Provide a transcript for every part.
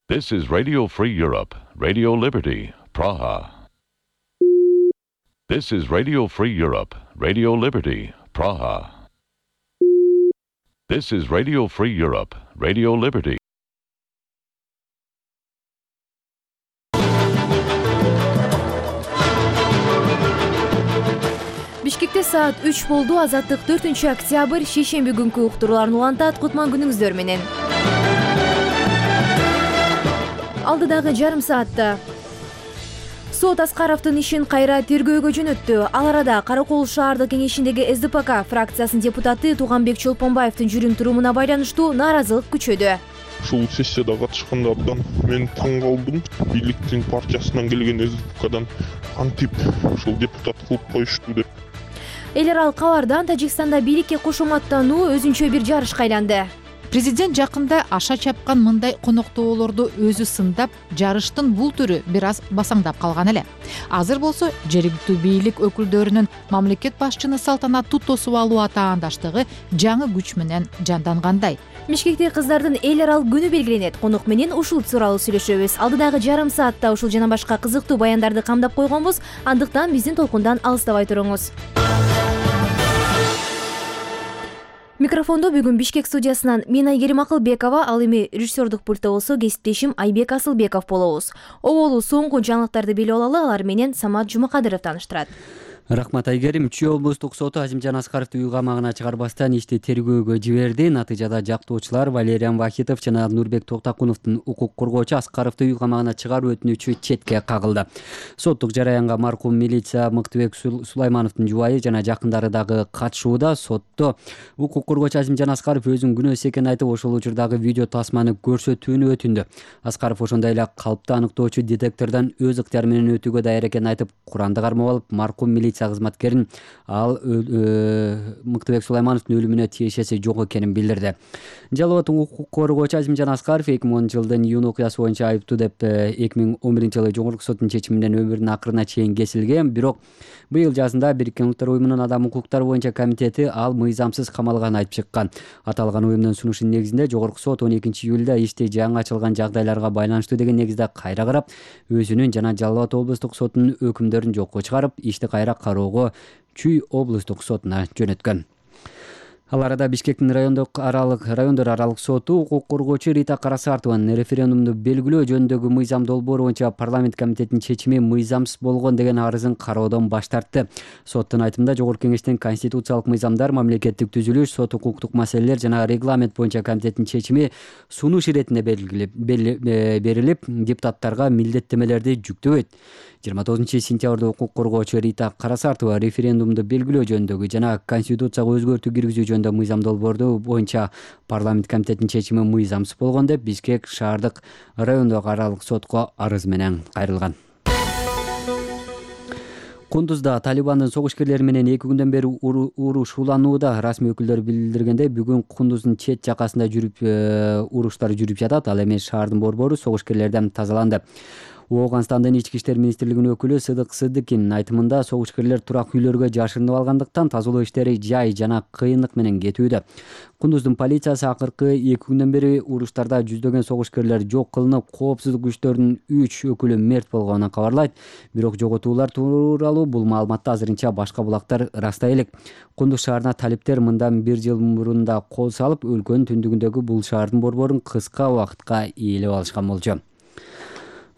This is Radio Free Europe, Radio Liberty, Praha. This is Radio Free Europe, Radio Liberty, Praha. This is Radio Free Europe, Radio Liberty. Бишкекте саат 3 болду. Азаттык 4-октябрь шейшемби күнкү уктурууларын улантат. Кутман күнүңүздөр менен. Алдыдагы жарым саатта сот Аскаровдун ишин кайра тергөөгө жөнөттү. Ал арада Каракол шаардык кеңешиндеги СДПК фракциясынын депутаты Туганбек Чолпонбаевдин жүрүм турумуна байланыштуу нааразылык күчөдү. Ушул сессияда катышканда абдан мен таң калдым. Бийликтин партиясынан келген СДПКдан антип ушул депутат кылып коюшту деп. Эл аралык кабардан Тажикстанда бийликке кошоматтануу өзүнчө бир жарышка айланды. Президент жакында аша чапкан мындай коноктоолорду өзү сындап, жарыштын бул түрү бир аз басаңдап калган эле. Азыр болсо жергиликтүү бийлик өкүлдөрүнүн мамлекет башчыны салтанаттуу тосуп алуу атаандаштыгы жаңы күч менен жандангандай. Бишкекте кыздардын эл аралык күнү белгиленет. Конок менен ушул тууралуу сүйлөшөбүз. Алдыдагы жарым саатта ушул жана башка кызыктуу баяндарды камдап койгонбуз. Андыктан биздин толкундан алыстабай туруңуз. Микрофондо бүгүн Бишкек студиясынан мен Айгерим Акылбекова, ал эми режиссердук пультта болсо кесиптешим Айбек Асылбеков болобуз. Оболу соңку жаңылыктарды билип алалы, алар менен Самат Жумакадыров тааныштырат. Рахмат Айгерим. Чүй облустук соту Азимжан Аскаровду үй камагына чыгарбастан ишти тергөөгө жиберди. Натыйжада жактоочулар Валериан Вахитов жана Нурбек Токтакуновдун укук коргоочу Аскаровду үй камагына чыгаруу өтүнүчү четке кагылды. Соттук жараянга маркум милиция Мыктыбек Сулаймановдун жубайы жана жакындары дагы катышууда. Сотто укук коргоочу Азимжан Аскаров өзүнүн күнөөсү экенин айтып, ошол учурдагы видео тасманы көрсөтүүнү өтүндү. Аскаров ошондой эле калпты аныктоочу детектордон өз ыктыяры менен өтүүгө даяр экенин айтып, Куранды кармап алып, маркум милиция кызматкерин ал Мыктыбек Сулаймановдун өлүмүнө тиешеси жок экенин билдирди. Жалал абад укук коргоочу Азимжан Аскаров 2010-жылдын июнь окуясы боюнча айыптуу деп 2011-жылы жогорку соттун чечими менен өмүрүнүн акырына чейин кесилген. Бирок быйыл жазында Бириккен Улуттар уюмунун адам укуктары боюнча комитети ал мыйзамсыз камалганын айтып чыккан. Аталган уюмдун сунушунун негизинде жогорку сот 12-июлда ишти жаңы ачылган жагдайларга байланыштуу деген негизде кайра карап, өзүнүн жана Жалал абад облустук сотунун өкүмдөрүн жокко чыгарып, ишти кайра кароого Чүй облустук сотуна жөнөткөн. Ал арада Бишкектин райондор аралык соту укук коргоочу Рита Карасартованын референдумду белгилөө жөнүндөгү мыйзам долбоору боюнча парламент комитетинин чечими мыйзамсыз болгон деген арызын кароодон баш тартты. Соттун айтымында жогорку кеңештин конституциялык мыйзамдар, мамлекеттик түзүлүш, сот укуктук маселелер жана регламент боюнча комитеттин чечими сунуш иретинде берилип, депутаттарга милдеттемелерди жүктөбөйт. 29-сентябрда укук коргоочу Рита Карасартова референдумду белгилөө жөнүндөгү жана конституцияга өзгөртүү киргизүү жөнүндө мыйзам долбоорду боюнча парламент комитетинин чечими мыйзамсыз болгон деп Бишкек шаардык райондук аралык сотко арыз менен кайрылган. Кундузда Талибандын согушкерлери менен 2 күндөн бери уруш уланууда. Расмий өкүлдөр билдиргендей, бүгүн Кундуздун чет жакасында уруштар жүрүп жатат. Ал эми шаардын борбору согушкерлерден тазаланды. Ооганстандын ички иштер министрлигинин өкүлү Сыдык Сыдыкинин айтымында согушкерлер турак үйлөргө жашырынып алгандыктан тазалоо иштери жай жана кыйынлык менен кетүүдө. Кундуздун полициясы акыркы 2 күндөн бери уруштарда жүздөгөн согушкерлер жок кылынып, коопсуздук күчтөрүнүн 3 өкүлү мерт болгонун кабарлайт. Бирок жоготуулар тууралуу бул маалыматты азырынча башка булактар ырастай элек. Кундуз шаарына талиптер мындан 1 жыл мурун да кол салып, өлкөнүн түндүгүндөгү бул шаардын борборун кыска убакытка ээлеп алышкан болчу.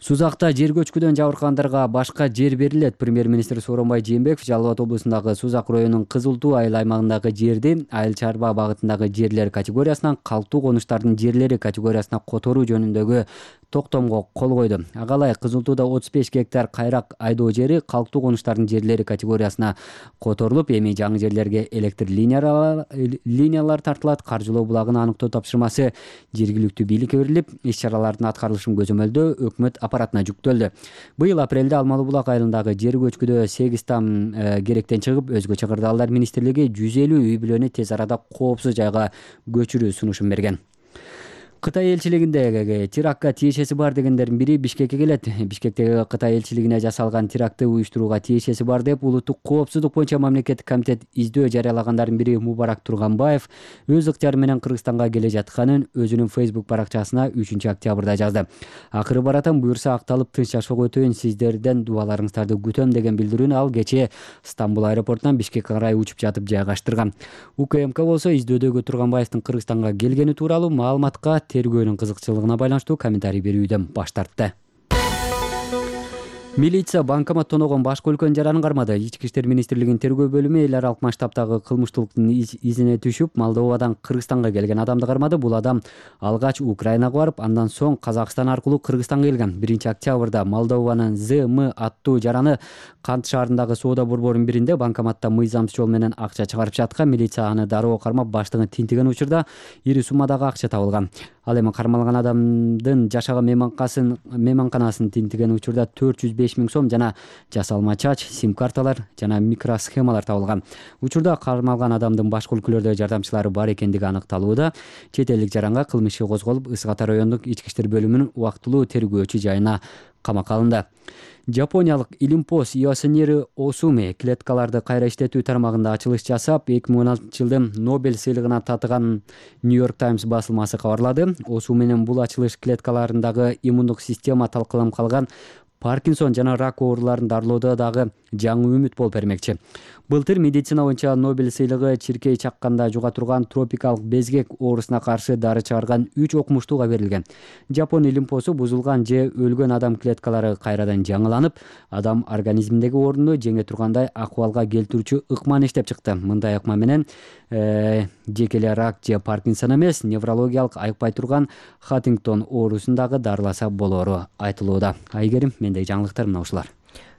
Сузакта жер көчкүдөн жабыркагандарга башка жер берилет. Премьер-министр Сооронбай Жээнбеков Жалал абад облусундагы Сузак районунун Кызылтуу айыл аймагындагы жерди айыл чарба багытындагы жерлер категориясынан калктуу конуштардын жерлери категориясына которуу жөнүндөгү токтомго кол койду. Агалай Кызылтууда 35 гектар кайрак айдоо жери калктуу конуштардын жерлери категориясына которулуп, эми жаңы жерлерге электр линиялар тартылат. Каржылоо булагын аныктоо тапшырмасы жергиликтүү бийликке берилип, иш-чаралардын аткарылышын көзөмөлдөө өкмөт аппаратына жүктөлдү. Быйыл апрелде Алмалы булак айылындагы жер көчкүдө 8 там керектен чыгып, өзгөчө кырдаалдар министрлиги 150 үй бүлөнү тез арада коопсуз жайга көчүрүү сунушун берген. Кытай элчилигинде терактка тиешеси бар дегендердин бири Бишкекке келет. Бишкектеги Кытай элчилигине жасалган терактты уюштурууга тиешеси бар деп улуттук коопсуздук боюнча мамлекеттик комитет издөө жарыялагандардын бири Мубарак Турганбаев өз ыктыяры менен Кыргызстанга келе жатканын өзүнүн Facebook баракчасына 3-октябрда жазды. Акыры баратам, буюрса акталып тынч жашоого өтөйүн, сиздерден дубаларыңыздарды күтөм деген билдирүүнү ал кечээ Стамбул аэропортунан Бишкекке карай учуп жатып жайгаштырган. УКМК болсо издөөдөгү Турганбаевдин Кыргызстанга келгени тууралуу маалыматка тергөөнүн кызыкчылыгына байланыштуу комментарий берүүдөн баш тартты. Милиция банкомат тоногон башка өлкөнүн жаранын кармады. Ички иштер министрлигинин тергөө бөлүмү эл аралык масштабтагы кылмыштуулуктун изине түшүп, Молдовадан Кыргызстанга келген адамды кармады. Бул адам алгач Украинага барып, андан соң Казакстан аркылуу Кыргызстанга келген. 1-октябрда Молдованын ЗМ аттуу жараны Кант шаарындагы соода борборунун биринде банкоматта мыйзамсыз жол менен акча чыгарып жаткан. Милиция аны дароо кармап, баштыгын тинтиген учурда ири суммадагы акча табылган. Ал эми кармалган адамдын жашаган мейманканасын тинтиген учурда 405 000 сом жана жасалма чач, сим-карталар жана микросхемалар табылган. Учурда кармалган адамдын башка өлкөлөрдө жардамчылары бар экендиги аныкталууда. Чет элдик жаранга кылмыш иши козголуп, Ысык Ата райондук ички иштер бөлүмүнүн убактылуу тергөөчү жайына камакка алынды. Жапониялык Илимпос Йосинери Осуми клеткаларды кайра иштетүү тармагында ачылыш жасап, 2016-жылдын Нобель сыйлыгына татыган Нью-Йорк Таймс басылмасы кабарлады. Осуминин бул ачылыш клеткаларындагы иммундук система талкаланып калган Паркинсон жана рак ооруларын дарылоодо дагы жаңы үмүт болуп бермекчи. Былтыр медицина боюнча Нобель сыйлыгы чиркей чакканда жуга турган тропикалык безгек оорусуна каршы дары чыгарган 3 окумуштууга берилген. Жапон илимпосу бузулган же өлгөн адам клеткалары кайрадан жаңыланып, адам организминдеги орунду жеңе тургандай акыбалга келтирүүчү ыкманы иштеп чыкты. Мындай ыкма менен жеке эле рак же Паркинсон эмес, неврологиялык айыкпай турган Хаттингтон оорусун дагы дарыласа болору айтылууда. Айгерим, мендеги жаңылыктар мына ушулар.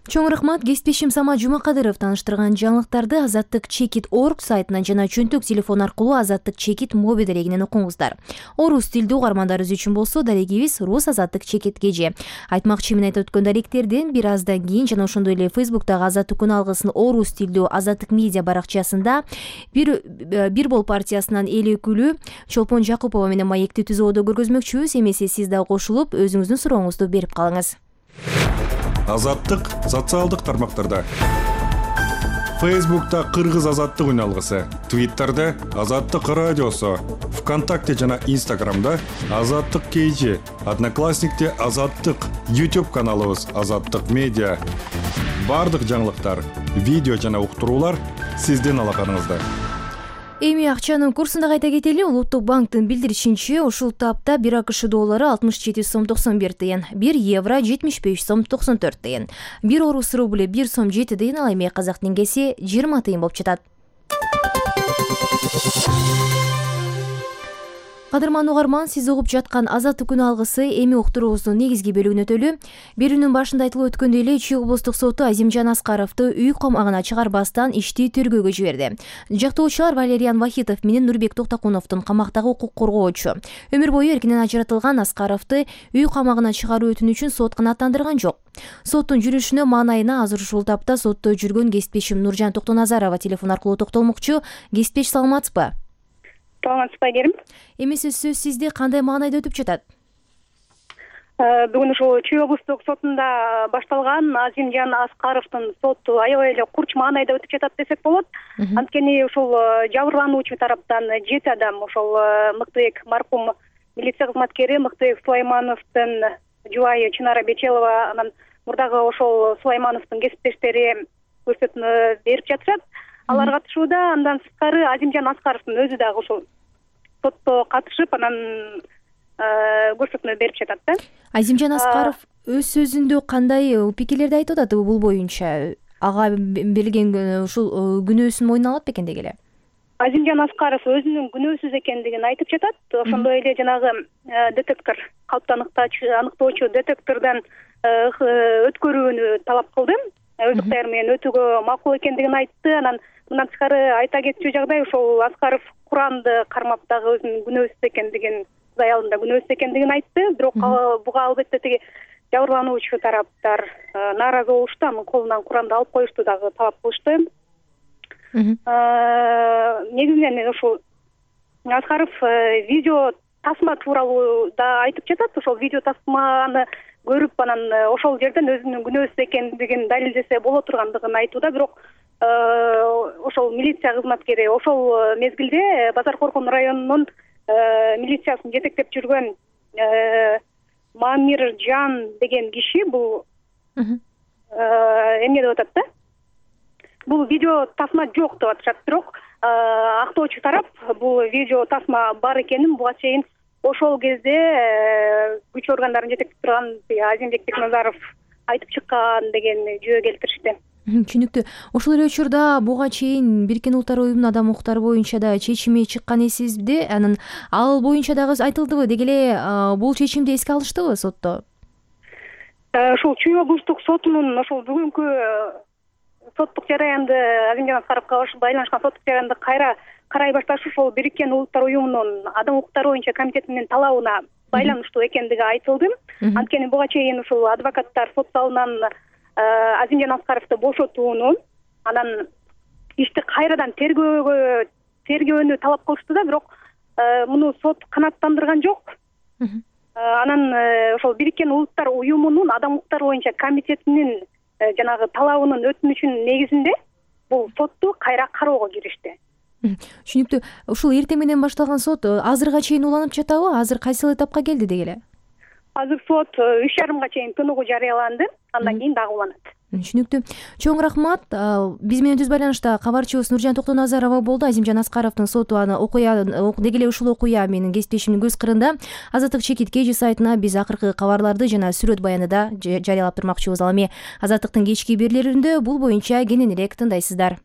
Чоң рахмат. Кесиптешим Самат Жумакадыров тааныштырган жаңылыктарды Азаттык Чекит.org сайтынан жана чөнтөк телефон аркылуу Азаттык Чекит моби дарегинен окуңуздар. Орус тилдүү угармандарыбыз үчүн болсо дарегибиз Рус Азаттык Чекит кеже. Айтмакчы мен айтып өткөн даректерден бир аздан кийин жана ошондой эле Facebooktагы Азаттык күн алгысын орус тилдүү Азаттык медиа баракчасында бир бол партиясынан эл өкүлү Чолпон Жакупова менен маекти түзүүдө көргөзмөкчүбүз. Эмесе сиз да кошулуп өзүңүздүн сурооңузду берип калыңыз. Азаттык социалдык тармактарда. Facebook'ta Кыргыз Азаттык үн алгысы, Twitter'да Азаттык радиосу, ВКонтакте жана Инстаграмда Азаттык KG, Одноклассникте Азаттык, YouTube каналыбыз Азаттык медиа. Бардык жаңылыктар, видео жана уктуруулар сиздин алаканыңызда. Эми акчанын курсунда кайта кетели. Улуттук банктын билдиришинче, ушул тапта 1 АКШ доллары 67 сом 91 тыйын, 1 евро 75 сом 94 тыйын, 1 орус рубль 1 сом 7 тыйын, ал эми казак теңгеси 20 тыйын болуп жатат. Кадырман угарман, сиз угуп жаткан Азаттык күн алгысы эми уктуруубуздун негизги бөлүгүнө өтөлү. Берүүнүн башында айтылып өткөндөй эле Чүй облустук соту Азимжан Аскаровду үй камагына чыгарбастан ишти тергөөгө жиберди. Жактоочулар Валериан Вахитов менен Нурбек Токтакуновдун камактагы укук коргоочу өмүр бою эркинен ажыратылган Аскаровду үй камагына чыгаруу өтүнүчүн сот канааттандырган жок. Соттун жүрүшүнө маанайына азыр ушул тапта сотто жүргөн кесиптешим Нуржан Токтоназарова телефон аркылуу токтолмокчу. Кесиптеш, саламатсызбы? Саламатсызбы, Айгерим. Эмесе сөз сизде кандай маанайда өтүп жатат? Бүгүн ушул Чүй облустук сотунда башталган Азимжан Аскаровдун соту аябай эле курч маанайда өтүп жатат десек болот. Анткени ушул жабырлануучу тараптан 7 адам, ошол Мыктыбек маркум милиция кызматкери Мыктыбек Сулаймановдун жубайы Чынара Бечелова, анан мурдагы ошол Сулаймановдун кесиптештери көрсөтмө берип жатышат. Алар катышууда. Андан сырткары Азимжан Аскаровдун өзү дагы ушул сотто катышып, анан көрсөтмө берип жатат да. Азимжан Аскаров өз сөзүндө кандай пикирлерди айтып атат бул боюнча? Ага берилген ушул күнөөсүн мойнуна алат бекен деги эле? Азимжан Аскаров өзүнүн күнөөсүз экендигин айтып жатат. Ошондой эле жанагы детектор, калпты аныктоочу детектордон өткөрүүнү талап кылды. Өз ыктыяры менен өтүүгө макул экендигин айтты. Анан мындан тышкары айта кетчү жагдай, ошол Аскаров Куранды кармап дагы өзүнүн күнөөсүз экендигин, Кудай алдында күнөөсүз экендигин айтты. Бирок буга албетте тиги жабырлануучу тараптар нааразы болушту. Анын колунан Куранды алып коюшту дагы талап кылышты. Негизинен ушул Аскаров видео тасма тууралуу да айтып жатат. Ошол видео тасманы көрүп анан ошол жерден өзүнүн күнөөсүз экендигин далилдесе боло тургандыгын айтууда. Бирок ошол милиция кызматкери ошол мезгилде Базар Коркон районунун милициясын жетектеп жүргөн Мамиржан деген киши бул эмне деп атат да? Бул видео тасма жок деп атышат. Бирок актоочу тарап бул видео тасма бар экенин буга чейин ошол кезде күч органдарын жетектеп турган Азимбек Бекназаров айтып чыккан деген жөө келтиришти. Түшүнүктүү. Ошол эле учурда буга чейин Бириккен Улуттар Уюмунун адам укуктары боюнча да чечими чыккан эсизде, анан ал боюнча дагы айтылдыбы? Деги эле бул чечимди эске алыштыбы сотто? Ошол Чүй облустук сотунун ошол бүгүнкү соттук жараянды Азимжан Аскаровго байланышкан соттук жараянды кайра карай башташы ошол Бириккен Улуттар Уюмунун адам укуктары боюнча комитетинин талабына байланыштуу экендиги айтылды. Анткени буга чейин ушул адвокаттар сот залынан Азимжан Аскаровду бошотууну, анан ишти кайрадан тергөөнү талап кылышты да, бирок муну сот канааттандырган жок. Анан ошол Бириккен Улуттар Уюмунун адам укуктары боюнча комитетинин жанагы талабынын өтүнүшүнүн негизинде бул сотту кайра кароого киришти. Түшүнүктүү. Ушул эртең менен башталган сот азырга чейин уланып жатабы? Азыр кайсыл этапка келди деги эле? Азыр сот 3:30 чейин тыныгуу жарыяланды, андан кийин дагы уланат. Түшүнүктүү. Чоң рахмат. Биз менен түз байланышта кабарчыбыз Нуржан Токтоназарова болду. Азимжан Аскаровдун соту аны деги эле ушул окуя менин кесиптешимдин көз кырында Азаттык чекит кежи сайтына биз акыркы кабарларды жана сүрөт баяныда жарыялап турмакчыбыз. Ал эми Азаттыктын кечки берүүлөрүндө бул боюнча кененирээк тыңдайсыздар.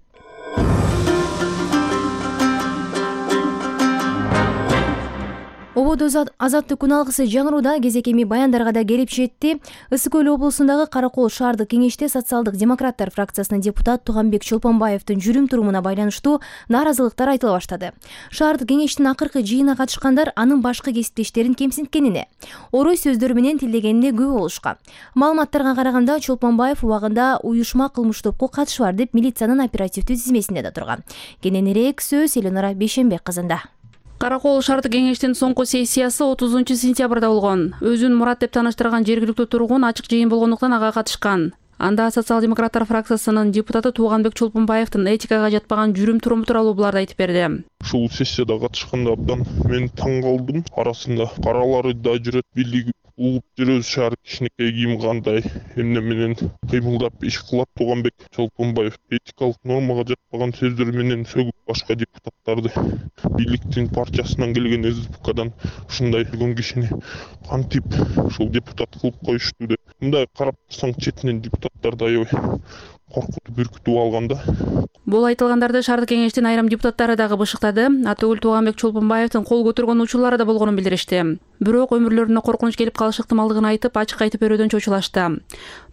Ободо Азаттык күн алгысы жаңырууда кезек эми баяндарга да келип жетти. Ысык Көл облусундагы Каракол шаардык кеңеште социалдык демократтар фракциясынын депутат Туганбек Чолпонбаевдин жүрүм турумуна байланыштуу нааразылыктар айтыла баштады. Шаардык кеңештин акыркы жыйынына катышкандар анын башкы кесиптештерин кемсинткенине, орой сөздөр менен тилдегенине күбө болушкан. Маалыматтарга караганда Чолпонбаев убагында уюшма кылмыш топко катышы бар деп милициянын оперативдүү тизмесинде да турган. Кененирээк сөз Эленора Бейшенбек кызында. Каракол шаардык кеңештин соңку сессиясы 30-сентябрда болгон. Өзүн Мурат деп тааныштырган жергиликтүү тургун ачык жыйын болгондуктан ага катышкан. Анда социал-демократтар фракциясынын депутаты Туганбек Чолпонбаевдин этикага жатпаган жүрүм туруму тууралуу буларды айтып берди. Ушул сессияда катышканда абдан мен таң калдым. Арасында каралары да жүрөт, бийлиги угуп жүрөбүз, шаар кичинекей кийим кандай эмне менен кыймылдап иш кылат. Туганбек Чолпонбаев этикалык нормага жатпаган сөздөр менен сөгүп башка депутаттарды, бийликтин партиясынан келген СДПКдан ушундай жүргөн кишини кантип ушул депутат кылып коюшту деп. Мындай карап турсаң четинен депутаттарды аябай коркутуп үркүтүп алганда. Бул айтылгандарды шаардык кеңештин айрым депутаттары дагы бышыктады. Атөгүл Туганбек Чолпонбаевдин кол көтөргөн учурлары да болгонун билдиришти. Бирок өмүрлөрүнө коркунуч келип калышы ыктымалдыгын айтып, ачык айтып берүүдөн чочулашты.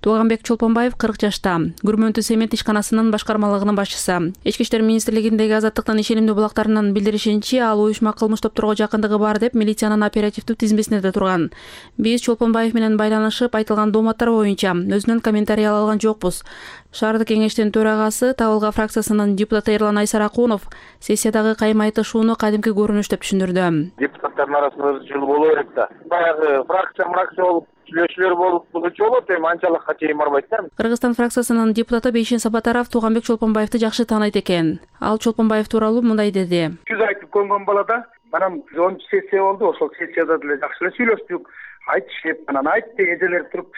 Туганбек Чолпонбаев 40 жашта, Күрмөнтү цемент ишканасынын башкармалыгынын башчысы. Ички иштер министрлигиндеги Азаттыктын ишенимдүү булактарынын билдиришинче, ал уюшма кылмыш топторго жакындыгы бар деп милициянын оперативдүү тизмесинде да турган. Биз Чолпонбаев менен байланышып, айтылган дооматтар боюнча өзүнөн комментарий ала алган жокпуз. Шаардык кеңештин төрагасы Табылга фракциясынын депутаты Эрлан Айсаракунов сессиядагы кайым айтышууну кадимки көрүнүш деп түшүндүрдү. Депутаттардын арасында өзүчүлүк боло берет да. Баягы фракция болуп, сүйлөшүүлөр болуп, булчу болот, эми анчалыкка чейин барбайт да. Кыргызстан фракциясынын депутаты Бейшен Сапатаров Туганбек Чолпонбаевди жакшы тааныйт экен. Ал Чолпонбаев тууралуу мындай деди. Жүз айтып көнгөн балада, анан 10 сессия болду, ошол сессияда деле жакшы эле сүйлөштүк. Айтышып, анан айтты эжелер туруп,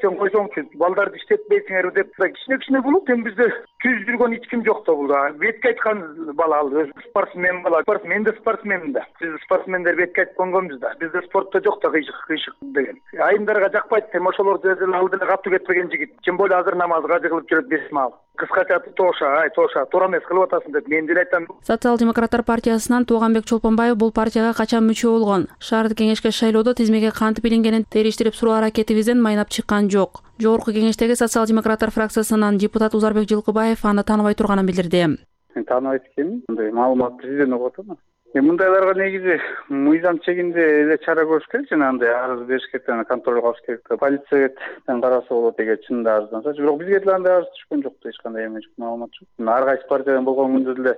сен койсоңчу, балдарды иштетпейсиңерби деп кичине болот. Эми бизде түз жүргөн эч ким жок да бул. Бетке айткан бала ал, өзү спортсмен бала. Мен да спортсменмин да. Биз спортсмендер бетке айтып көнгөнбүз да. Бизде спортто жок да кыйшык деген. Айымдарга жакпайт, эми ошолор ал деле катуу кетпеген жигит. Тем более азыр намазга жыгылып жүрөт бесмал. Кыскача тоша, туура эмес кылып атасың деп мен деле айтам. Социал-демократтар партиясынан Туганбек Чолпонбаев бул партияга качан мүчө болгон? Шаардык кеңешке шайлоодо тизмеге кантип илингенин териштирип суроо аракетибизден майнап чыккан жок. Жогорку кеңештеги социал-демократтар фракциясынын депутат Узарбек Жылкыбаев аны тааныбай турганын билдирди. Мен тааныбайт экенмин. Мындай маалыматты жерден угуп атам. Мындайларга негизи мыйзам чегинде эле чара көрүш керек, жана андай арыз бериш керек, контролго алыш керек. Полициядан караса болот эгер чынында арызданса. Бирок бизге деле андай арыз түшкөн жок, эч кандай эме жок, маалымат жок. Ар кайсы партиядан болгон күндө деле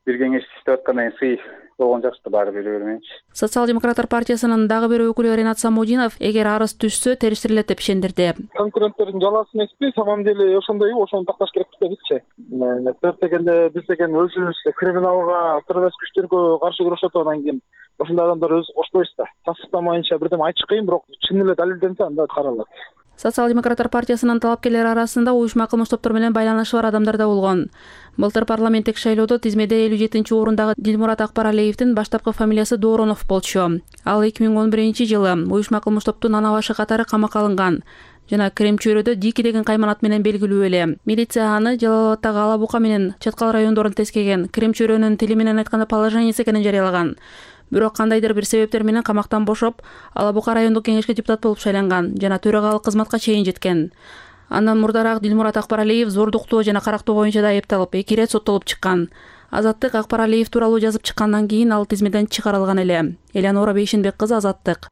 бир кеңешти иштеп аткандан кийин сый болгон жакшы да, баары бере бермейинчи. Социал-демократтар партиясынын дагы бир өкүлү Ренат Самудинов эгер арыз түшсө териштирилет деп ишендирди. Конкуренттердин жаласы эмеспи, самом деле ошондойбу, ошону такташ керек дедикчи. Төрт дегенде биз деген өзүбүз криминалга, террорист күчтөргө каршы күрөшөт, анан кийин ошондой адамдар өзү кошпойбуз да. Тасыктамайынча бирдеме айтыш кыйын, бирок чын эле далилденсе анда каралат. Социал-демократтар партиясынын талапкерлери арасында уюшма кылмыш топтор менен байланышы бар адамдар да болгон. Былтыр парламенттик шайлоодо тизмеде 57-орундагы Дилмурат Акбаралиевдин баштапкы фамилиясы Доронов болчу. Ал 2011-жылы уюшма кылмыш топтун ана башы катары камакка алынган жана Крем чөйрөдө Дики деген кайман ат менен белгилүү эле. Милиция аны Жалал Абадтагы Ала Бука менен Чаткал райондорун тескеген, Крем чөйрөнүн тили менен айтканда положениеси экенин жарыялаган. Бирок кандайдыр бир себептер менен камактан бошоп, Ала Бука райондук кеңешке депутат болуп шайланган жана төрагалык кызматка чейин жеткен. Андан мурдараак Дилмурат Акбаралиев зордуктоо жана карактоо боюнча да айыпталып, 2 ирет соттолуп чыккан. Азаттык Акбаралиев тууралуу жазып чыккандан кийин ал тизмеден чыгарылган эле. Элеонора Бейшенбек кызы, Азаттык.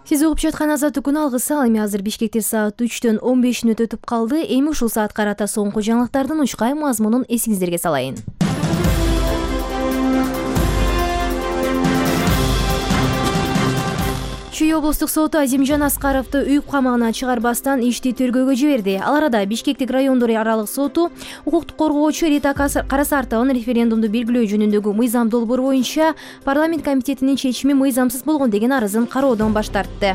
Сиз угуп жаткан Азаттык күн алгысы. Ал эми азыр Бишкекте саат 3-төн 15 мүнөт өтүп калды. Эми ушул саат карата соңку жаңылыктардын учкай мазмунун эсиңиздерге салайын. Чүй облустук соту Азимжан Аскаровду үйүп камагына чыгарбастан ишти тергөөгө жиберди. Ал арада Бишкектик райондор аралык соту укуктук коргоочу Рита Карасартованын референдумду белгилөө жөнүндөгү мыйзам долбоор боюнча парламент комитетинин чечими мыйзамсыз болгон деген арызын кароодон баш тартты.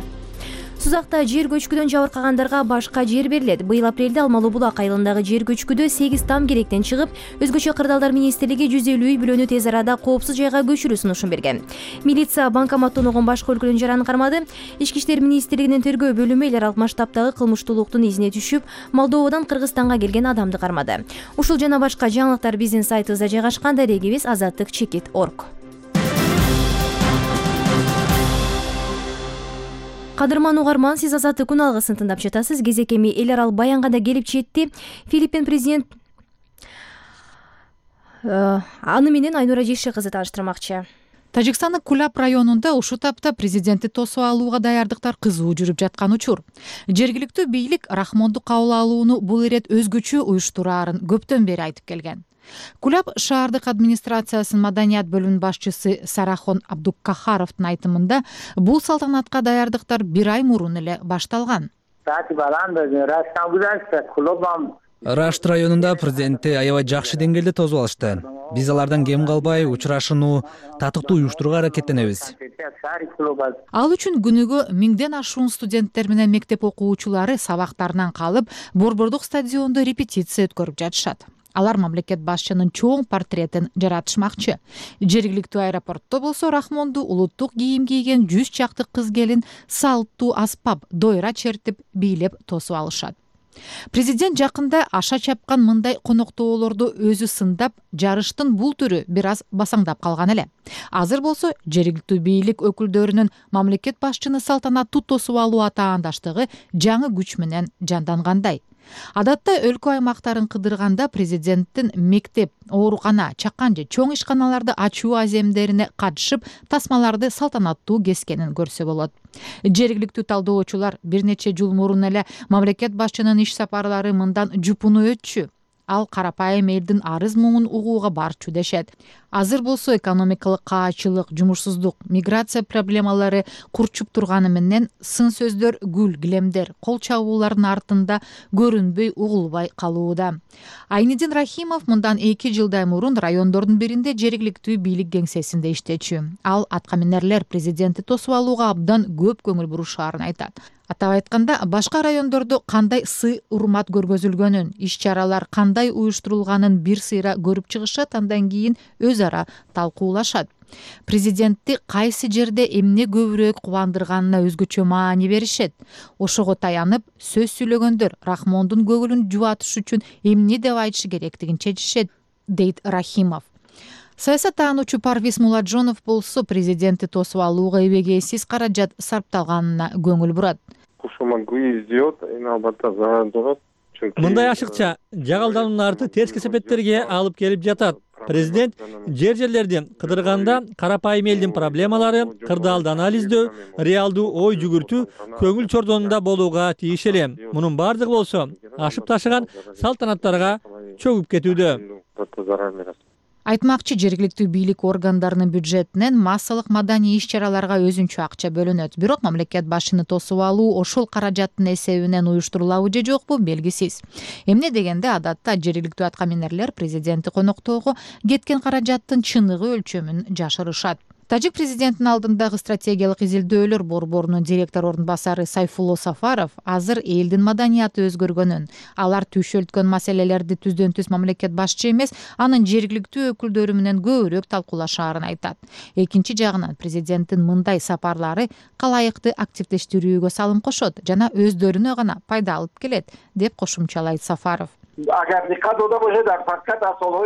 Сузакта жер көчкүдөн жабыркагандарга башка жер берилет. Быйыл апрелде Алмалуу Булак айылындагы жер көчкүдө 8 там керектен чыгып, өзгөчө кырдаалдар министрлиги 150 үй бүлөнү тез арада коопсуз жайга көчүрүү сунушун берген. Милиция банкоматтан огон башка өлкөнүн жараны кармады. Ички иштер министрлигинин тергөө бөлүмү эл аралык масштабтагы кылмыштуулуктун изине түшүп, Молдовадан Кыргызстанга келген адамды кармады. Ушул жана башка жаңылыктар биздин сайтыбызда жайгашкан. Дарегибиз azattik.org. Кадырман угарман, сиз Азаттык күн алгысын тыңдап жатасыз. Кезек эми эл аралык баянга да келип жетти. Филиппин президент аны менен Айнура Жекше кызы тааныштырмакчы. Тажикстандын Кулап районунда ушул тапта президентти тосуп алууга даярдыктар кызуу жүрүп жаткан учур. Жергиликтүү бийлик Рахмонду кабыл алууну бул ирет өзгөчө уюштураарын көптөн бери айтып келген. Кулап шаардык администрациясынын маданият бөлүмүнүн башчысы Сарахон Абдуккахаровдун айтымында бул салтанатка даярдыктар 1 ай мурун эле башталган. Рашт районунда президентти аябай жакшы деңгээлде тосуп алышты. Биз алардан кем калбай учурашууну татыктуу уюштурууга аракеттенебиз. Ал үчүн күнүгө 1000ден ашуун студенттер менен мектеп окуучулары сабактарынан калып, Борбордук стадиондо репетиция өткөрүп жатышат. Алар мамлекет башчынын чоң портретин жаратышмакчы. Жергиликтүү аэропортто болсо Рахмонду улуттук кийим кийген 100 чакты кыз келин салттуу аспап, дойра чертип, бийлеп тосуп алышат. Президент жакында аша чапкан мындай коноктоолорду өзү сындап, жарыштын бул түрү бир аз басаңдап калган эле. Азыр болсо жергиликтүү бийлик өкүлдөрүнүн мамлекет башчыны салтанаттуу тосуп алуу атаандаштыгы жаңы күч менен жандангандай. Адатта өлкө аймактарын кыдырганда президенттин мектеп, оорукана, чакан же чоң ишканаларды ачуу аземдерине катышып, тасмаларды салтанаттуу кескенин көрсө болот. Жергиликтүү талдоочулар бир нече жыл мурун эле мамлекет башчынын иш сапарлары мындан жупуну өтчү. Ал карапайым элдин арыз муңун угууга барчу дешет. Азыр болсо экономикалык каачылык, жумушсуздук, миграция проблемалары курчуп турганы менен сын сөздөр, гүл килемдер, кол чабуулардын артында көрүнбөй, угулбай калууда. Айнидин Рахимов мындан 2 жылдай мурун райондордун биринде жергиликтүү бийлик кеңсесинде иштечү. Ал атка минерлер президентти тосуп алууга абдан көп көңүл бурушаарын айтат. Атап айтканда, башка райондордо кандай сый урмат көргөзүлгөнүн, иш-чаралар кандай уюштурулганын бир сыйра көрүп чыгышат, андан кийин өз ара талкуулашат. Президентти кайсы жерде эмне көбүрөөк кубандырганына өзгөчө маани беришет. Ошого таянып, сөз сүйлөгөндөр Рахмондун көңүлүн жубатыш үчүн эмне деп айтышы керектигин чечишет, дейт Рахимов. Саясаттануучу Парвиз Муладжонов болсо президентти тосуп алууга эбегейсиз каражат сарпталганына көңүл бурат. Что могу сделать, и наоборот, заранее мындай ашыкча жагалдануунун арты терс кесепеттерге алып келип жатат. Президент жерлерди кыдырганда карапайым элдин проблемалары, кырдаалды анализдөө, реалдуу ой жүгүртүү көңүл чордонунда болууга тийиш эле. Мунун бардыгы болсо ашып ташыган салтанаттарга чөгүп кетүүдө. Айтмакчы, жергиликтүү бийлик органдарынын бюджетинен массалык маданий иш-чараларга өзүнчө акча бөлүнөт. Бирок мамлекет башчыны тосуп алуу ошол каражаттын эсебинен уюштурулабы же жокпу белгисиз. Эмне дегенде адатта жергиликтүү аткаминерлер президентти коноктоого кеткен каражаттын чыныгы өлчөмүн жашырышат. Тажик президентинин алдындагы стратегиялык изилдөөлөр борборунун директор орун басары Сайфулло Сафаров азыр элдин маданияты өзгөргөнүн, алар түйшөлткөн маселелерди түздөн түз мамлекет башчы эмес, анын жергиликтүү өкүлдөрү менен көбүрөөк талкуулашаарын айтат. Экинчи жагынан президенттин мындай сапарлары калайыкты активдештирүүгө салым кошот жана өздөрүнө гана пайда алып келет, деп кошумчалайт Сафаров.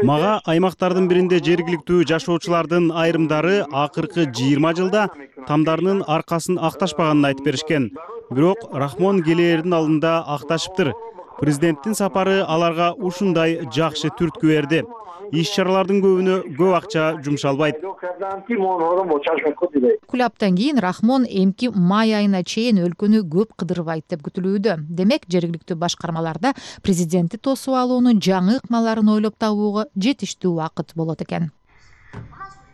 Мага аймактардын биринде жергиликтүү жашоочулардын айрымдары акыркы 20 жылда тамдарынын аркасын акташпаганын айтып беришкен. Бирок Рахмон келээрдин алдында акташыптыр. Президенттин сапары аларга ушундай жакшы түрткү берди. Иш-чаралардын көбүнө көп акча жумшалбайт. Кулаптан кийин Рахмон эмки май айына чейин өлкөнү көп кыдырбайт деп күтүлүүдө. Демек, жергиликтүү башкармаларда президентти тосуп алуунун жаңы ыкмаларын ойлоп табууга жетиштүү убакыт болот экен.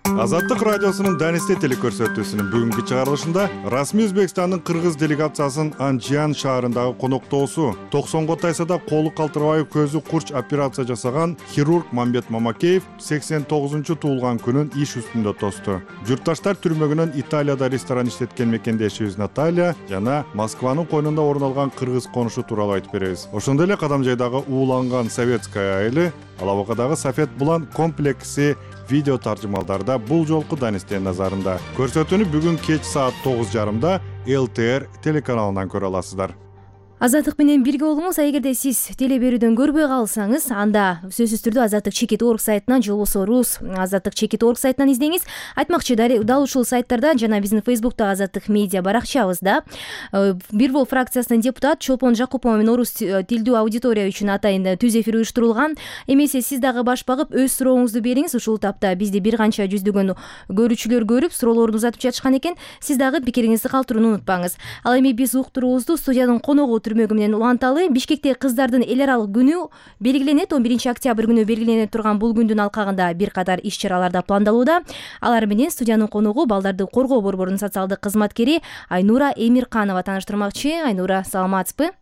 Азаттык радиосунун Данисте телекөрсөтүүсүнүн бүгүнкү чыгарылышында расмий Өзбекстандын кыргыз делегациясынын Анжиан шаарындагы коноктоосу 90го тайсада колу калтырбай көзү курч операция жасаган хирург Мамбет Мамакеев 89-чу туулган күнүн иш үстүндө тосту. Журтташтар түрмөгүнөн Италияда ресторан иштеткен мекендешибиз Наталья жана Москванын койнунда орун алган кыргыз конушу тууралуу айтып беребиз. Ошондой эле Кадамжайдагы ууланган советская айылы, Алабакадагы Сафет Булан комплекси видео таржымалдарда бул жолку Данистен назарында. Көрсөтүүнү бүгүн кеч саат 9:30 ЛТР телеканалынан көрө аласыздар. Азаттык менен бирге болуңуз. Эгерде сиз теле берүүдөн көрбөй калсаңыз, анда сөзсүз түрдө Азаттык Чекит.org сайтынан же болбосо Рус Азаттык Чекит.org сайтынан издеңиз. Айтмакчы, дал ушул сайттарда жана биздин Фейсбукта Азаттык медиа баракчабызда Бир Бол фракциясынын депутат Чолпон Жакупова менен орус тилдүү аудитория үчүн атайын түз эфир уюштурулган. Эмесе сиз дагы баш багып өз сурооңузду бериңиз. Ушул тапта бизди бир канча жүздөгөн көрүүчүлөр көрүп, суроолорду узатып жатышкан экен. Сиз дагы пикириңизди калтырууну унутпаңыз. Ал эми биз уктуруубузду студиянын коногу түрмөгү менен уланталы. Бишкекте кыздардын эл аралык күнү белгиленет. 11-октябрь күнү белгиленип турган бул күндүн алкагында бир катар иш-чараларда пландалууда. Алар менен студиянын коногу балдарды коргоо борборунун социалдык кызматкери Айнура Эмирканова тааныштырмакчы. Айнура, саламатсызбы?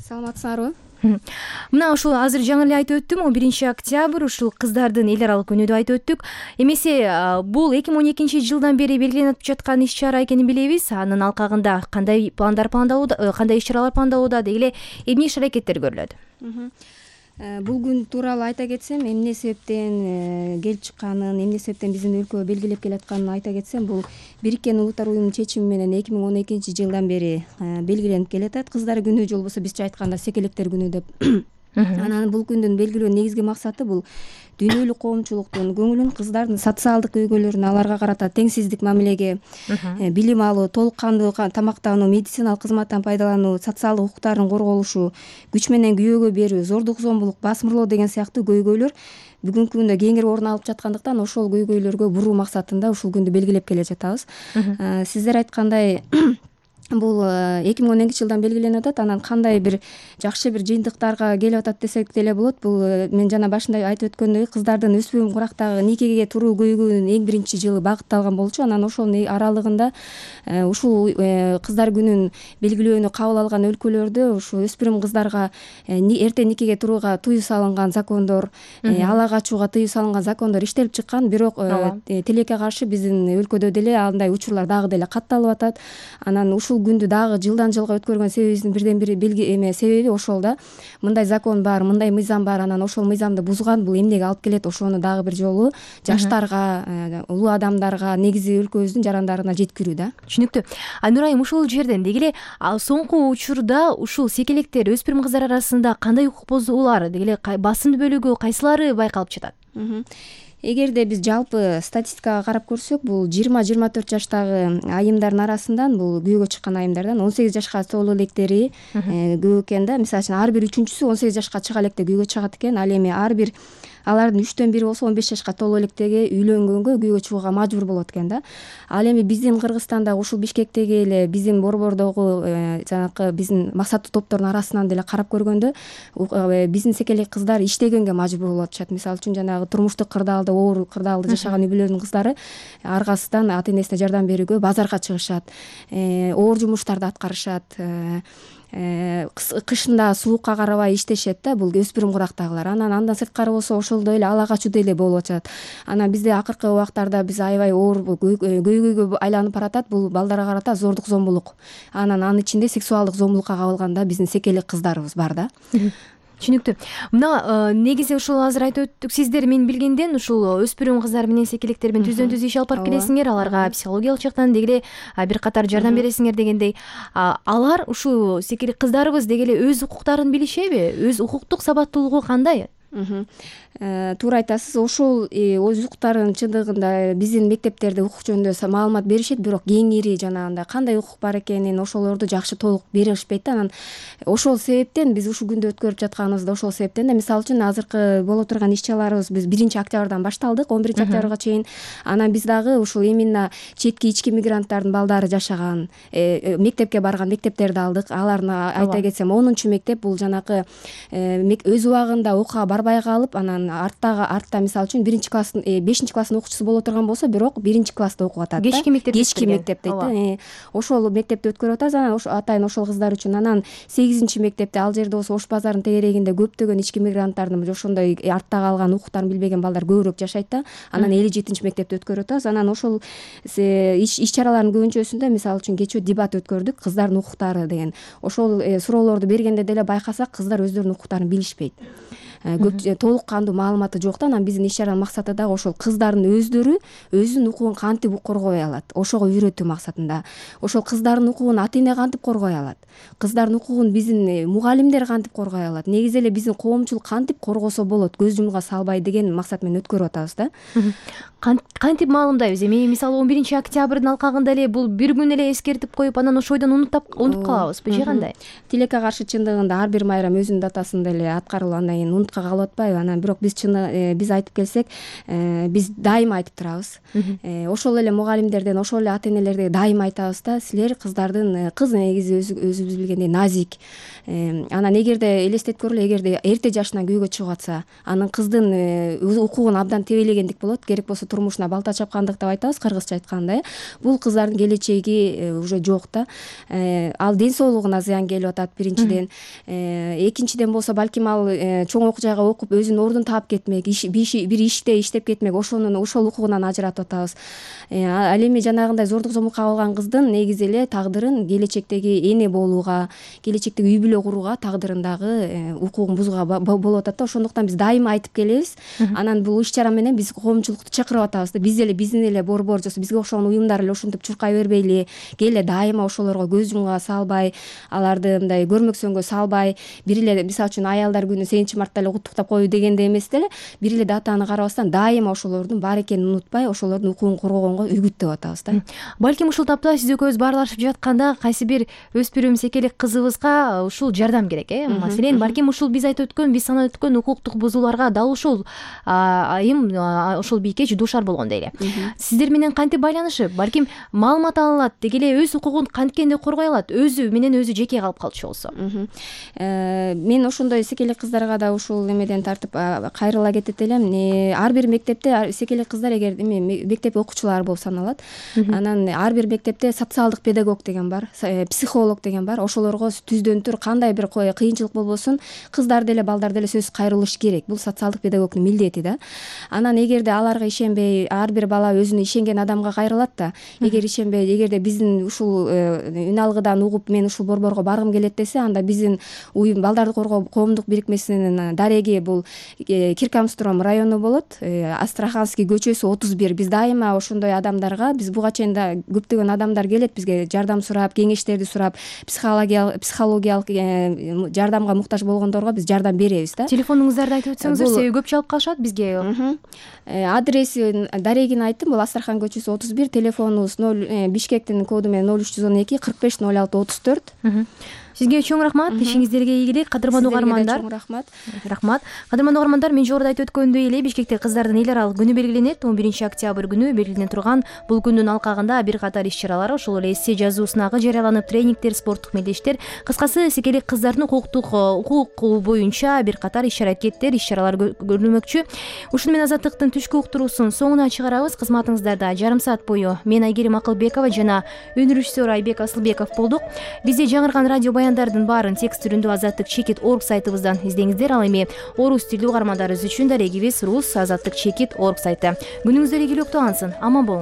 Саламатсыңарбы? Мына ушул азыр жаңы эле айтып өттүм, 11-октябрь ушул кыздардын эл аралык күнү деп айтып өттүк. Эмесе бул 2012-жылдан бери белгиленип жаткан иш-чара экенин билебиз. Анын алкагында кандай пландар пландалууда, кандай иш-чаралар пландалууда, деги эле эмне иш-аракеттер көрүлөт? Бул күн тууралуу айта кетсем, эмне себептен келип чыкканын, эмне себептен биздин өлкө белгилеп келатканын айта кетсем, бул Бириккен Улуттар уюмунун чечими менен 2012-жылдан бери белгиленип келатат. Кыздар күнү же болбосо бизче айтканда секелектер күнү деп. Анан бул күндүн белгилөө негизги максаты бул дүйнөлүк коомчулуктун көңүлүн кыздардын социалдык өйгөлөрүнө, аларга карата теңсиздик мамилеге, билим алуу, толук кандуу тамактануу, медициналык кызматтан пайдалануу, социалдык укуктарын корголушу, күч менен күйөөгө берүү, зордук зомбулук, басмырлоо деген сыяктуу көйгөйлөр бүгүнкү күндө кеңири орун алып жаткандыктан ошол көйгөйлөргө буруу максатында ушул күндү белгилеп келе жатабыз. Сиздер айткандай бул 2012-жылдан белгиленип атат. Анан кандай бир жакшы бир жыйынтыктарга келип атат десек деле болот. Бул мен жана башында айтып өткөндөй кыздардын өспүрүм курактагы никеге туруу көйгөйүнүн эң биринчи жылы багытталган болчу. Анан ошонун аралыгында ушул кыздар күнүн белгилөөнү кабыл алган өлкөлөрдө ушу өспүрүм кыздарга эрте никеге турууга тыюу салынган закондор, ала качууга тыюу салынган закондор иштелип чыккан. Бирок тилекке каршы биздин өлкөдө деле андай учурлар дагы деле катталып атат. Анан ушул күндү дагы жылдан жылга өткөргөн себебибиздин бирден бири себеби ошол да. Мындай закон бар, мындай мыйзам бар, анан ошол мыйзамды бузган бул эмнеге алып келет? Ошону дагы бир жолу жаштарга, улуу адамдарга, негизи өлкөбүздүн жарандарына жеткирүү да. Түшүнүктүү. Айнура айым, ушул жерден деги эле соңку учурда ушул секелектер өспүрүм кыздар арасында кандай укук бузуулар, деги эле басым бөлүгү кайсылары байкалып жатат? эгерде биз жалпы статистикага карап көрсөк, бул 20-24 жаштагы айымдардын арасынан, бул күйөөгө чыккан айымдардан 18 жашка толуу электери көп экен да. Мисалы үчүн ар бир үчүнчүсү 18 жашка чыга электе күйөөгө чыгат экен. Ал эми ар бир алардын 3төн 1 болсо 15 жашка толуу электеги үйлөнгөнгө күйөөгө чыгууга мажбур болот экен да. Ал эми биздин Кыргызстанда ушул Бишкектеги эле биздин борбордогу жанакы биздин максаттуу топтордун арасынан деле карап көргөндө биздин секелек кыздар иштегенге мажбур болуп атышат. Мисалы үчүн жанагы турмуштук кырдаалда, оор кырдаалда жашаган үй бүлөлөрдүн кыздары аркасынан ата энесине жардам берүүгө базарга чыгышат, оор жумуштарды аткарышат, кышында суукка карабай иштешет да, бул өспүрүм курактагылар. Андан сырткары болсо ошолдой эле ала качуу деле болуп атат. Анан бизде акыркы убактарда биз аябай оор көйгөйгө айланып баратат. Бул балдарга карата зордук, зомбулук. Анын ичинде сексуалдык зомбулукка кабылган да биздин секелек кыздарыбыз бар да. Түшүнүктүү. Мына негизи ушул азыр айтып өттүк, сиздер мен билгенден ушул өспүрүм кыздар менен секелектер менен түздөн түз иш алып барып келесиңер, аларга психологиялык жактан деги эле бир катар жардам бересиңер дегендей. Алар ушул секелек кыздарыбыз деги эле өз укуктарын билишеби? Өз укуктук сабаттуулугу кандай? Туура айтасыз. Ошол өз укуктарын чындыгында биздин мектептерде укук жөнүндө маалымат беришет, бирок кеңири жанагындай кандай укук бар экенин ошолорду жакшы толук беришпейт да. Анан ошол себептен биз ушул күндө өткөрүп жатканыбызда ошол себептен да. Мисалы үчүн азыркы боло турган иш чараларыбыз биз 1-октябрдан башталдык, 11-октябрга чейин. Анан биз дагы ушул именно четки ички мигранттардын балдары жашаган мектепке барган мектептерди алдык. Алардын айта кетсем 10-мектеп бул жанакы өз убагында окууга барбай калып, анан артта мисалы үчүн 1-класстын 5-класстын окуучусу боло турган болсо, бирок 1-класста окуп атат да. Кечки мектеп дейт да. Ошол мектепти өткөрүп атат. Анан атайын ошол кыздар үчүн. Анан 8-мектепте ал жерде болсо Ош базарынын тегерегинде көптөгөн ички мигранттардын ошондой артта калган укуктарын билбеген балдар көбүрөөк жашайт да. Анан 57-мектепти өткөрүп атабыз. Анан ошол иш чаралардын көбүнчөсүндө мисалы үчүн кечээ дебат өткөрдүк, кыздардын укуктары деген. Ошол суроолорду бергенде деле байкасак, кыздар өздөрүнүн укуктарын билишпейт. Толук кандуу маалыматы жок да. Анан биздин иш чаранын максаты дагы ошол кыздардын өздөрү өзүнүн укугун кантип коргой алат, ошого үйрөтүү максатында. Ошол кыздардын укугун ата эне кантип коргой алат, кыздардын укугун биздин мугалимдер кантип коргой алат, негизи эле биздин коомчулук кантип коргосо болот, көз жумга салбай деген максат менен өткөрүп атабыз да. Кантип маалымдайбыз? Эми мисалы 11-октябрдын алкагында эле бул бир күн эле эскертип коюп, анан ошойдон унутуп калабызбы же кандай? Тилекке каршы чындыгында ар бир майрам өзүнүн датасында эле аткарылып, андан кийин унутка калып атпайбы? Анан бирок биз айтып келсек, биз дайыма айтып турабыз. Ошол эле мугалимдерден, ошол эле ата энелерге дайыма айтабыз да, силер кыздардын, кыз негизи өзүбүз билгендей назик. Анан эгерде элестетип көрөлү, эгерде эрте жашынан күйөөгө чыгып атса, анын кыздын укугун абдан тебелегендик болот, керек болсо турмушуна балта чапкандык деп айтабыз, кыргызча айтканда. Бул кыздардын келечеги уже жок да. Ал ден соолугуна зыян келип атат биринчиден. Экинчиден болсо балким ал чоң окуу жайга окуп өзүнүн ордун таап кетмек, бир иште иштеп кетмек, ошол укугунан ажыратып атабыз. Ал эми жанагындай зордук зомбулукка кабылган кыздын негизи эле тагдырын келечектеги эне болууга, келечектеги үй бүлө курууга тагдырындагы укугун бузууга болуп атат да. Ошондуктан биз дайыма айтып келебиз. Анан бул иш чара менен биз коомчулукту чакырып атабыз да. Биздин эле борбор же бизге окшогон уюмдар эле ушинтип чуркай бербейли, келе дайыма ошолорго көз жумга салбай, аларды мындай көрмөксөнгө салбай, бир эле мисалы үчүн аялдар күнү 8-мартта эле куттуктап коюу дегенде эмес деле, бир эле датаны карабастан дайыма ошолордун бар экенин унутпай, ошолордун укугун коргогонго үгүттөп атабыз да. Балким ушул тапта сиз экөөбүз баарлашып жатканда кайсы бир өспүрүм секелек кызыбызга ушул жардам керек, Маселен, балким ушул биз айтып өткөн, биз санап өткөн укуктук бузууларга дал ушул айым, ошол бийкеч дуушар болгон дейли. Сиздер менен кантип байланышып, балким маалымат ала алат, деги эле өз укугун канткенде коргой алат, өзү менен өзү жеке калып калчу болсо. Мен ошондой секелек кыздарга да ушул эмеден тартып кайрыла кетет элем. Ар бир мектепте секелек кыздар эгер мектеп окуучулары болуп саналат. Анан ар бир мектепте социалдык педагог деген бар, психолог деген бар. Ошолорго түздөн түр кандай бир кыйынчылык болбосун, кыздар деле балдар деле сөзсүз кайрылыш керек. Бул социалдык педагогдун милдети да. Анан эгерде аларга ишенбей, ар бир бала өзүнө ишенген адамга кайрылат да. Эгер ишенбей, эгерде биздин ушул үн алгыдан угуп, мен ушул борборго баргым келет десе, анда биздин уюм балдарды коргоо коомдук бирикмесинин дареги бул Киркамстром району болот. Астраханский көчөсү 31. Биз дайыма ошондой адамдарга, биз буга чейин да көптөгөн адамдар келет бизге жардам сурап, кеңештерди сурап, психологиялык жардамга муктаж болгондорго биз жардам беребиз да. Телефонуңуздарды айтып өтсөңүздөр, себеби көп чалып калышат бизге. Адреси дарегин айттым, бул Астрахан көчөсү 31, телефонубуз Бишкектин коду менен 0312 45 06 34. Сизге чоң рахмат, ишиңиздерге ийгилик. Кадырман угармандар, рахмат. Кадырман угармандар, мен жогоруда айтып өткөндөй эле Бишкекте кыздардын эл аралык күнү белгиленет. 11 октябрь күнү белгилене турган бул күндүн алкагында бир катар иш-чаралар, ошол эле эссе жазуу сынагы жарыяланып, тренингдер, спорттук мелдештер, кыскасы эсекелик кыздардын укугу боюнча бир катар иш-аракеттер, иш-чаралар көрүлмөкчү. Ушуну менен Азаттыктын түшкү уктуруусун соңуна чыгарабыз. Кызматыңыздарда жарым саат бою мен Айгерим Акылбекова жана өнүрүшсүөр Айбек Асылбеков болдук. Бизде жаңырган радио баяндардын баарын текст түрүндө Азаттык Чекит.org сайтыбыздан издеңиздер. Ал эми орус тилдүү угармандарыбыз үчүн дарегибиз Рус Азаттык Чекит.org сайты. Күнүңүздөр ийгиликтүү алынсын. Аман болуңуз.